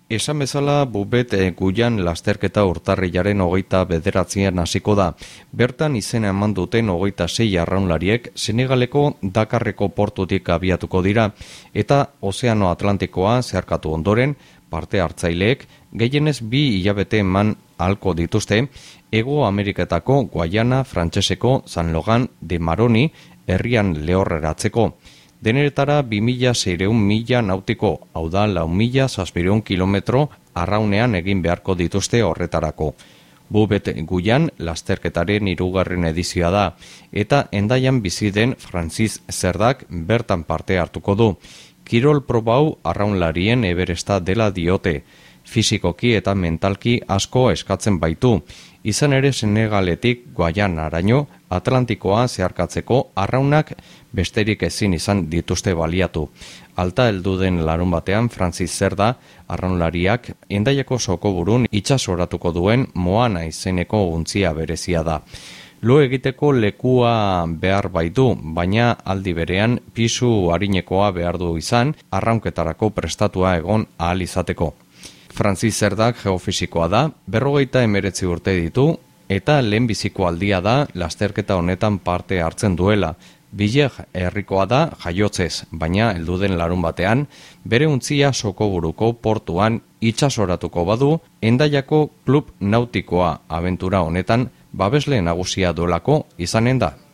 Esan bezala, Bubet Guyan lasterketa urtarrilaren 29an hasiko da. Bertan izena eman duten 26 arraunlariek Senegaleko Dakarreko portutik abiatuko dira, eta Ozeano Atlantikoa zeharkatu ondoren, parte hartzaileek gehienez 2 hilabete eman ahalko dituzte, Hego Ameriketako Guayana frantseseko San Logan de Maroni herrian lehorreratzeko. Deneretara 2.600 mila nautiko, hau da 4.700 kilometro arraunean egin beharko dituzte horretarako. Bubet Guyan lasterketaren 3. edizioa da, eta Hendaian bizi den Francis Zerdak bertan parte hartuko du. Kirol probau arraunlarien Everesta dela diote, fisikoki eta mentalki asko eskatzen baitu. Izan ere Senegaletik Guayanaraino Atlantikoa zeharkatzeko arraunak besterik ezin izan dituzte baliatu. Alta heldu den larunbatean Francis Zerda arraunlariak Hendaiako sokoburun itsasoratuko duen Moana izeneko untzia berezia da. Lo egiteko lekua behar baitu, baina aldi berean pisu arinekoa behar du izan arraunketarako prestatua egon ahal izateko. Francis Zerdak geofisikoa da, 59 urte ditu, eta lehenbiziko aldia da lasterketa honetan parte hartzen duela. Bileg herrikoa da jaiotzez, baina helduden larunbatean bere untzia sokoburuko portuan itsasoratuko badu Hendaiako klub nautikoa abentura honetan babesle nagusia duelako izanen da.